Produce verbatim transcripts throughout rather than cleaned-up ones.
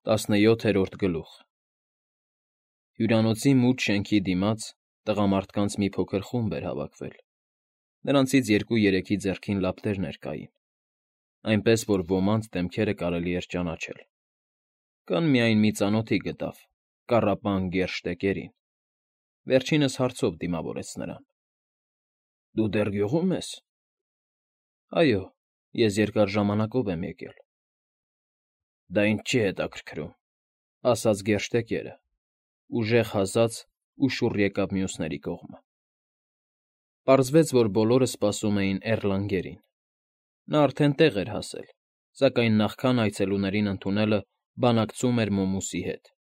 Տասնյոթերորդ գլուխ Հյուրանոցի մութ շենքի դիմաց տղամարդկանց մի փոքր խումբ էր հավաքվել. նրանցից երկու֊երեքի ձեռքին լապտերներ կային, այնպես որ ոմանց դեմքերը կարելի էր ճանաչել. կան միայն մի ծանոթի գտավ կառապան գերշ տեկերին, վերջինս հարցով դիմավորեց նրան. Դու դեռ գյուղո՞ւմ ես։ Այո, ես երկար ժամանակով եմ եկել։ Դա ինձ չի հետաքրքրում, ասաց գերշ տեկերը, ուժեղ հասած ու շուռ եկավ մյուսների կողմը։ Պարզվեց, որ բոլորը սպասում էին Էռլանգերին. նա արդեն տեղ էր հասել, սակայն նախքան այցելուներին ընդունելը բանակցում էր մոմուսի հետ։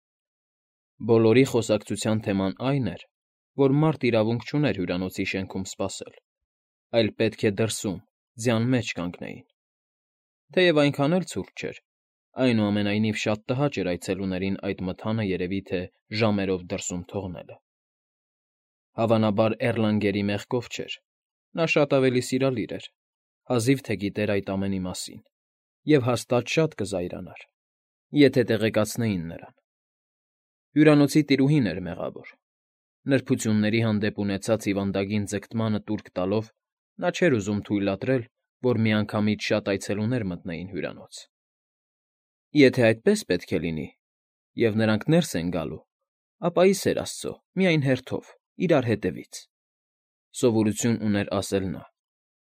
Բոլորի խոսակցության թեման այն էր, որ մարդ իրավունք չուներ հյուրանոցի շենքում սպասել, այլ պետք է դրսում, ձյան մեջ կանգնեին։ Թեև այնքան էլ ցուրտ չէր, այնուամենայնիվ շատ տհաճ էր այցելուներին այդ մթանը երևի թե ժամերով դրսում թողնելը։ Հավանաբար Էռլանգերի մեղքով չէր, նա շատ ավելի սիրալիր էր, հազիվ թե գիտեր այդ ամենի մասին, և հաստատ շատ կզայրանար, եթե տեղեկացնեին նրան։ Հյուրանոցի տիրուհին էր մեղավոր։ Նրբությունների հանդեպ ունեցած հիվանդագին ձգտմանը տուրք տալով նա չէր ուզում թույլատրել, որ միանգամից շատ այցելուներ մտնեին հյուրանոց։ Եթե այդպես պետք է լինի, և նրանք ներս են գալու, ապա ի սեր աստծո, միայն հերթով, իրար հետևից, սովորություն ուներ ասել նա,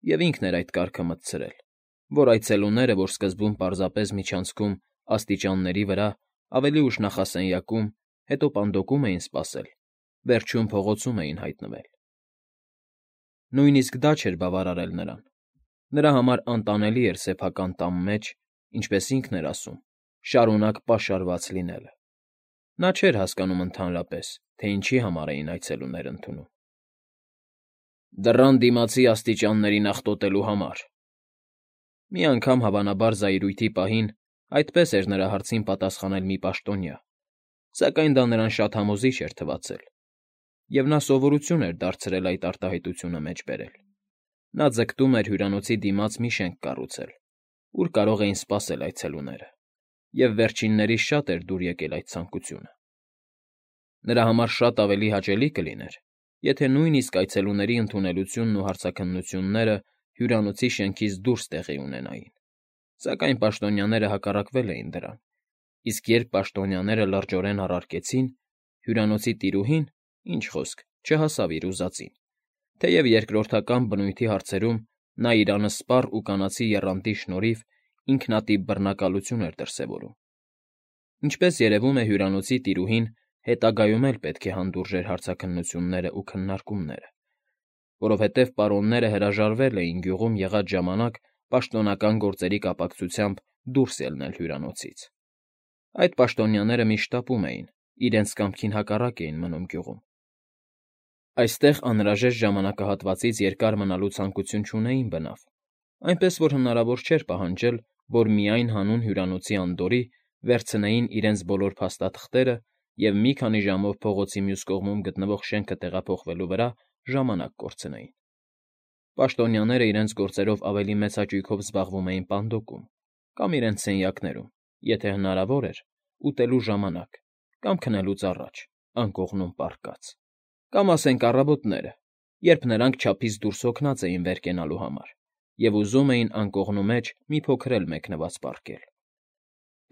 և ինքն էր այդ կարգը մտցրել, որ այցելուները, որ սկզբում պարզապես միջանցքում աստիճանների վրա, ավելի ուշ նախասենյակում, հետո պանդոկում էին սպասել, վերջում փողոցում էին հայտնվել։ Նույնիսկ դա չէր բավարարել նրան։ Նրա համար անտանելի էր սեփական տան մեջ, ինչպես ինքն էր ասում, շարունակ պաշարված լինելը։ Նա չէր հասկանում ընդհանրապես, թե ինչի համար էին այցելուներ ընդունում։ Դռան դիմացի աստիճաններին աղտոտելու համար։ Մի անգամ, հավանաբար զայրույթի պահին, այդպես էր նրա հարցին պատասխանել մի պաշտոնյա, սակայն դա նրան շատ համոզիչ էր թվացել, և նա սովորություն էր դարձրել այդ արտահայտությունը մեջ բերել։ Նա ձգտում էր հյուրանոցի դիմաց մի շենք կառուցել, ուր կարող էին սպասել այցելուները, և վերջիններիս շատ էր դուր եկել այդ ցանկությունը։ Նրա համար շատ ավելի հաճելի կլիներ, եթե նույնիսկ այցելուների ընդունելությունն ու հարցաքննությունները հյուրանոցի շենքից դուրս տեղի ունենային, սակայն պաշտոնյաները հակառակվել էին դրան, իսկ երբ պաշտոնյաները լրջորեն առարկեցին, հյուրանոցի տիրուհին, ինչ խոսք, չհասավ իր ուզածին, թեև երկրորդական բնույթի հարցերում նա իր անսպառ ու կանացի եռանդի շնորհիվ ինքնատիպ բռնակալություն էր դրսևորում։ Ինչպես երևում է, հյուրանոցի տիրուհին հետագայում էլ պետք է հանդուրժեր հարցաքննություններն ու քննարկումները, որովհետև պարոնները հրաժարվել էին գյուղում եղած ժամանակ պաշտոնական գործերի կապակցությամբ դուրս ելնել հյուրանոցից։ Այդ պաշտոնյաները միշտ ապում էին, իրենց կամքին հակառակ էին մնում գյուղում։ Այստեղ անհրաժեշտ ժամանակահատվածից երկար մնալու ցանկություն չունեին բնավ, այնպես որ հնարավոր չէր պահանջել, որ միայն հանուն հյուրանոցի անդորրի վերցնեին իրենց բոլոր փաստաթղթերը և մի քանի ժամով փողոցի մյուս կողմում գտնվող շենքը տեղափոխվելու վրա ժամանակ կորցնեին։ Պաշտոնյաները իրենց գործերով ավելի մեծ հաճույքով զբաղվում էին պանդոկում կամ իրենց սենյակներում, եթե հնարավոր էր, ուտելու ժամանակ կամ քնելուց առաջ, անկողնում պառկած, կամ ասենք առավոտները, երբ նրանք չափից դուրս հոգնած էին վեր կենալու համար և ուզում էին անկողնու մեջ մի փոքր էլ մեկնված պառկել։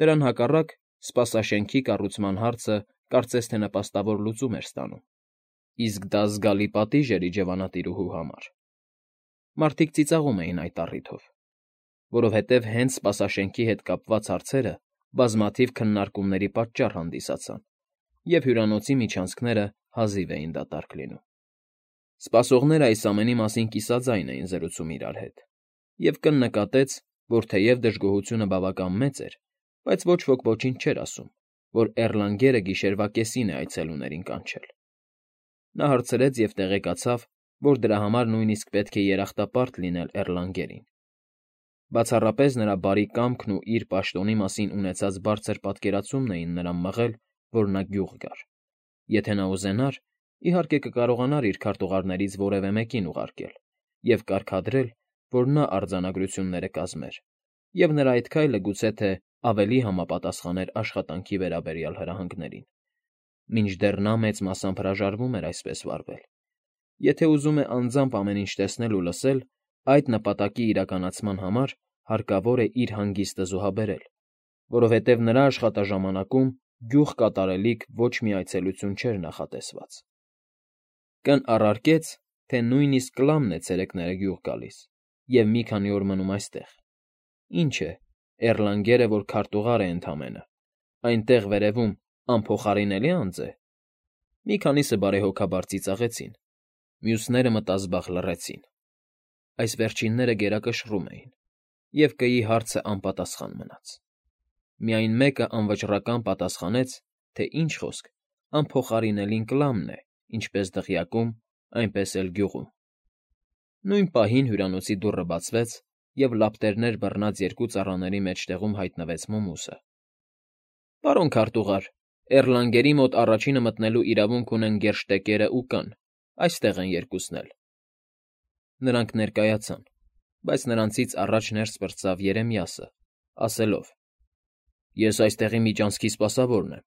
Դրան հակառակ, սպասաշենքի կառուցման հարցը կարծես թե նպաստավոր լուծում էր ստանում, իսկ դա զգալի պատիժ էր իջևանատիրուհու համար։ Մարդիկ ծիծաղում էին այդ առիթով, որովհետև հենց սպասաշենքի հետ կապված հարցերը բազմաթիվ քննարկումների պատճառ հանդիսացան, և հյուրանոցի միջանցքները հազիվ էին դատարկ լինում։ Սպասողներն այս ամենի մասին կիսաձայն էին զրուցում իրար հետ, և կննկատեց, որ թեև դժգոհությունը բավական մեծ էր, բայց ոչ ոք ոչինչ չէր ասում, որ Էռլանգերը գիշերվա կեսին է այցելուներին կանչել։ Նա հարցրեց և տեղեկացավ, որ դրա համար նույնիսկ պետք է երախտապարտ լինել Էռլանգերին։ Բացառապես նրա բարի կամքն ու իր պաշտոնի մասին ունեցած բարձր պատկերացումն էին նրան մղել, որ նա գյուղ գար։ Եթե նա ուզենար, իհարկե կկարողանար իր քարտուղարներից որևէ մեկին ուղարկել և կարգադրել, որ նա արձանագրությունները կազմեր, և նրա այդ քայլը գուցե թե ավելի համապատասխան էր աշխատանքի վերաբերյալ հրահանգներին, մինչդեռ նա մեծ մասամբ հրաժարվում էր այսպես վարվել. եթե ուզում է անձամբ ամեն ինչ տեսնել ու լսել, այդ նպատակի իրականացման համար հարկավոր է իր հանգիստը զոհաբերել, որովհետև նրա աշխատաժամանակում գյուղ կատարելիք ոչ մի այցելություն չէր նախատեսված։ Կն առարկեց, թե նույնիսկ Կլամն է ցերեկները գյուղ գալիս և մի քանի օր մնում այստեղ։ Ինչ է, Էռլանգերը, որ քարտուղար է ընդամենը, այնտեղ վերևում անփոխարինելի անձ է։ Մի քանիսը բարեհոգաբար ծիծաղեցին, մյուսները մտազբաղ լռեցին։ Այս վերջինները գերակշռում էին, և կգի հարցը անպատասխան մնաց։ Միայն մեկը անվճռական պատասխանեց, թե ինչ խոսք, անփոխարինելին Կլամն է, ինչպես դղյակում, այնպես էլ գյուղում։ Նույն պահին հյուրանոցի դուռը բացվեց, և լապտերներ բռնած երկու ծառաների մեջտեղում հայտնվեց Մոմուսը։ ֊ Պարոն քարտուղար, Էռլանգերի մոտ առաջինը մտնելու իրավունք ունեն գերշտեկերն ու Կ֊ն, այստեղ են երկուսն էլ։ Նրանք ներկայացան, բայց նրանցից առաջ ներս պրծավ Երեմիասը, ասելով. «Ես այստեղի միջանցքի սպասավորն եմ»։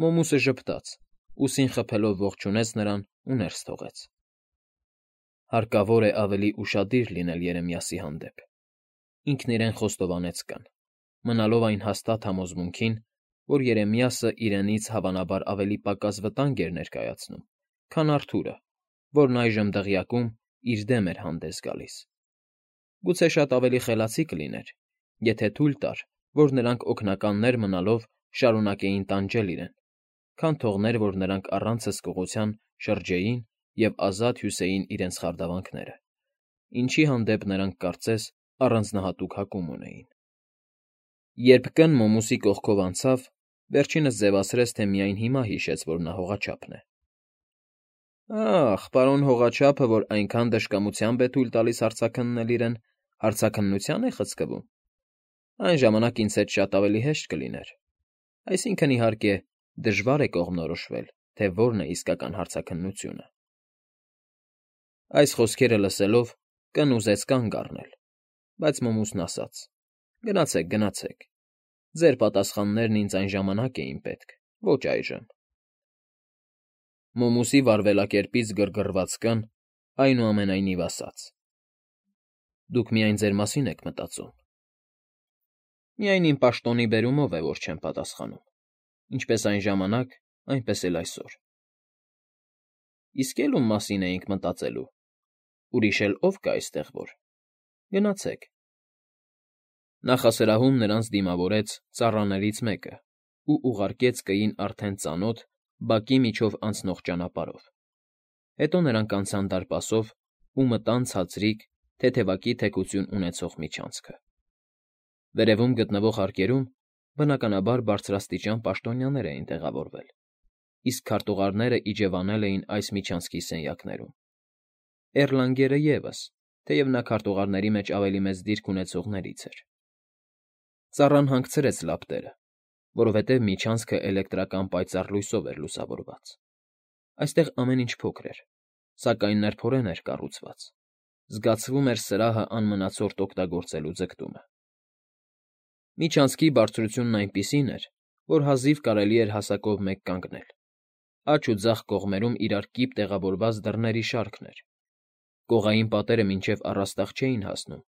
Մոմուսը ժպտաց, ուսին խփելով ողջունեց նրան ու ներս թողեց։ Հարկավոր է ավելի ուշադիր լինել Երեմիասի հանդեպ։ Ինքն իրեն խոստովանեց Կ֊ն, մնալով այն հաստատ համոզմունքին, որ Երեմիասը իրենից հավանաբար ավելի պակաս վտանգ էր ներկայացնում, քան Արթուրը, որն այժմ դղյակում իր դեմ էր հանդես գալիս։ Գուցե շատ ավելի խելացի կլիներ, եթե թույլ տար, որ նրանք օգնականներ մնալով շարունակեին տանջել իրեն, քան թողներ, որ նրանք առանց հսկողության շրջեին և ազատ հյուսեին իրենց խարդավանքները, ինչի հանդեպ նրանք, կարծես, առանձնահատուկ հակում ունեին։ Երբ Կ֊ն Մոմուսի կողքով անցավ, վերջինս ձևացրեց, թե միայն հիմա հիշեց, որ նա հողաչափն է։ Ախ, պարոն հողաչափը, որ այնքան դժկամությամբ է թույլ տալիս հարցաքննել իրեն, հարցաքննությա՞ն է խցկվում։ Այն ժամանակ ինձ հետ շատ ավելի հեշտ կլիներ։ Այսինքն, իհարկե, դժվար է կողմնորոշվել, թե որն է իսկական հարցաքննությունը։ Այս խոսքերը լսելով Կ֊ն ուզեց կանգ առնել, բայց Մոմուսն ասաց. «Գնացեք, գնացեք։ Ձեր պատասխաններն ինձ այն ժամանակ էին պետք, ոչ այժմ»։ Մոմուսի վարվելակերպից գրգռված Կ֊ն, այնուամենայնիվ, ասաց. «Դուք միայն ձեր մասին եք մտածում»։ Միայն իմ պաշտոնի բերումով է, որ չեմ պատասխանում, ինչպես այն ժամանակ, այնպես էլ այսօր։ Իսկ էլ ում մասին էինք մտածելու։ Ուրիշ էլ ո՞վ կա այստեղ որ։ Գնացեք։ Նախասրահում նրանց դիմավորեց ծառաներից մեկը ու ուղարկեց Կ֊ին արդեն ծանոթ, բակի միջով անցնող ճանապարհով։ Հետո նրանք անցան դարպասով ու մտան ցածրիկ, թեթևակի թեքություն ունեցող միջանցքը։ Վերևում գտնվող հարկերում, բնականաբար, բարձրաստիճան պաշտոնյաներ էին տեղավորվել, իսկ քարտուղարները իջևանել էին այս միջանցքի սենյակներում։ Էռլանգերը ևս, թեև նա քարտուղարների մեջ ավելի մեծ դիրք ունեցողներից էր։ Ծառան հանգցրեց լապտերը, որովհետև միջանցքը էլեկտրական պայծառ լույսով էր լուսավորված։ Այստեղ ամեն ինչ փոքր էր, սակայն նրբորեն էր կառուցված, զգացվում էր սրահը անմնացորդ օգտագործելու ձգտումը։ Միջանցքի բարձրությունն այնպիսին էր, որ հազիվ կարելի էր հասակով մեկ կանգնել։ Աջ ու ձախ կողմերում իրար կիպ տեղավորված դռների շարքն էր։ Կողային պատերը մինչև առաստաղ չէին հասնում,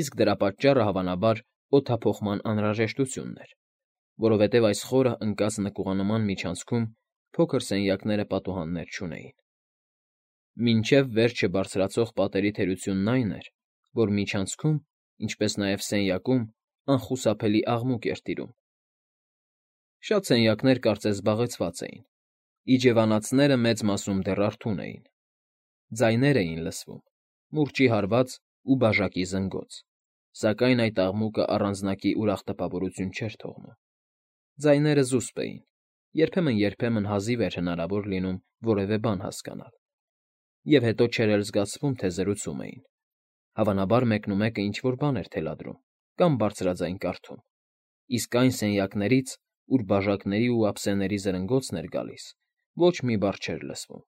իսկ դրա պատճառը, հավանաբար, օդափոխման անհրաժեշտությունն էր, որովհետև այս խորը ընկած նկուղանման միջանցքում փոքր սենյակները պատուհաններ չունեին։ Մինչև վերջը բարձրացող պատերի թերությունն այն էր, որ միջանցքում, ինչպես նաև սենյակում, անխուսափելի աղմուկ էր տիրում։ Շատ սենյակներ կարծես զբաղեցված էին, իջևանածները մեծ մասում դեռ արթուն էին։ Ձայներ էին լսվում, մուրճի հարված ու բաժակի զնգոց, սակայն այդ աղմուկը առանձնակի ուրախ տպավորություն չէր թողնում։ Ձայները զուսպ էին, երբեմն֊երբեմն հազիվ էր հնարավոր լինում որևէ բան հասկանալ, և հետո չէր էլ զգացվում, թե զրուցում էին։ Հավանաբար մեկնումեկը ինչ֊որ բան էր թելադրում կամ բարձրաձայն կարդում, իսկ այն սենյակներից, ուր բաժակների ու ափսեների զրնգոցն էր գալիս, ոչ մի բառ չէր լսվում,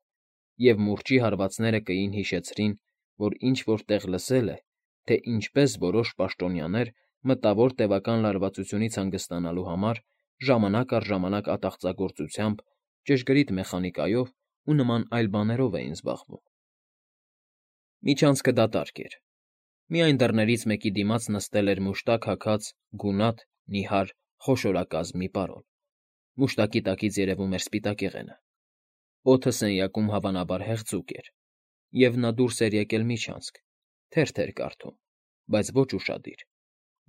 և մուրճի հարվածները Կ֊ին հիշեցրին, որ ինչ֊որ տեղ լսել է, թե ինչպես որոշ պաշտոնյաներ մտավոր տևական լարվածությունից հանգստանալու համար ժամանակ առ ժամանակ ատաղծագործությամբ, ճշգրիտ մեխանիկայով ու նման այլ բաներով էին զբաղվում։ Միջանցքը դատարկ էր։ Միայն դռներից մեկի դիմաց նստել էր մուշտակ հագած, գունատ, նիհար, խոշորակազմ մի պարոն։ Մուշտակի տակից երևում էր սպիտակեղենը։ Օդը սենյակում հավանաբար հեղձուկ էր, և նա դուրս էր եկել միջանցք, թերթ էր կարդում, բայց ոչ ուշադիր,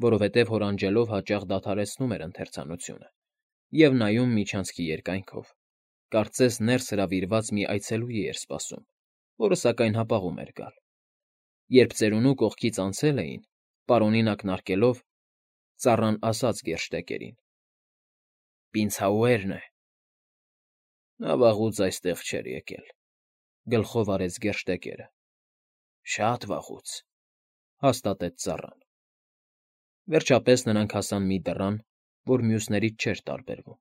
որովհետև հորանջելով հաճախ դադարեցնում էր ընթերցանությունը և նայում միջանցքի երկայնքով, կարծես ներս հրավիրված մի այցելուի էր սպասում, որը, սակայն, հապաղում էր գալ։ Երբ ծերունու կողքից անցել էին, պարոնին ակնարկելով, ծառան ասաց գերշտեկերին. «Պինցհաուերն է»։ Նա վաղուց այստեղ չէր եկել,֊ գլխով արեց գերշտեկերը։ Շատ վաղուց,֊ հաստատեց ծառան։ Վերջապես նրանք հասան մի դռան, որ մյուսներից չէր տարբերվում։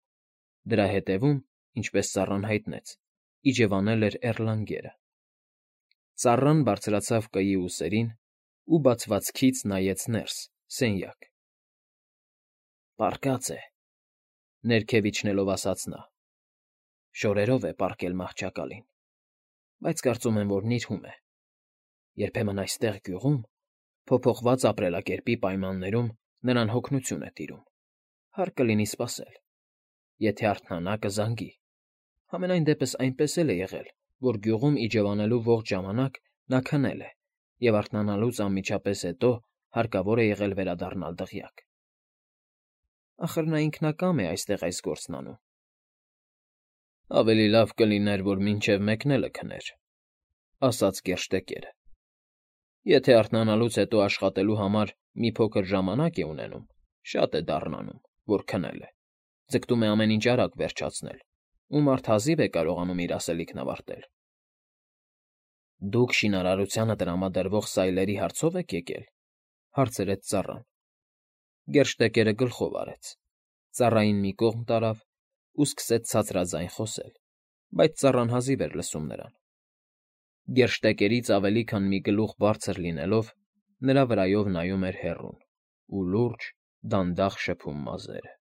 Դրա ետևում, ինչպես ծառան հայտնեց, իջևանել էր էռլանգերը։ Ծառան բարձրացավ կայի ուսերին ու բացվածքից նայեց ներս, սենյակ։ «Պառկած է,֊ ներքև իջնելով ասաց նա,֊ շորերով է պառկել մահճակալին, բայց կարծում եմ, որ նիրհում է։ Երբեմն այստեղ, գյուղում, փոփոխված ապրելակերպի պայմաններում նրան հոգնություն է տիրում, հարկ կլինի սպասել։ Եթե արթնանա, կզանգի։ Համենայն դեպս այնպես էլ է եղել, որ գյուղում իջևանելու ողջ ժամանակ նա քնել է և արթնանալուց անմիջապես հետո հարկավոր է եղել վերադառնալ դղյակ։ Ախր նա ինքնակամ է այստեղ այս գործն անում։ Ավելի լավ կլիներ, որ մինչև մեկնելը քներ,֊ ասաց գերշտեկերը։ Եթե արթնանալուց հետո աշխատելու համար մի փոքր ժամանակ է ունենում, շատ է դառնանում, որ քնել է, ձգտում է ամեն ինչ արագ վերջացնել, ու մարդ հազիվ է կարողանում իր ասելիքն ավարտել։ Դուք շինարարությանը տրամադրվող սայլերի հարցո՞վ եք եկել,֊ հարցրեց ծառան։ Գերշտեկերը գլխով արեց, ծառային մի կողմ տարավ ու սկսեց ցածրաձայն խոսել, բայց ծառան հազիվ էր լսում նրան։ Գերշտեկերից ավելի քան մի գլուխ բարձր լինելով, նրա վրայով նայում էր հեռուն ու լուրջ, դանդաղ շփում մազերը։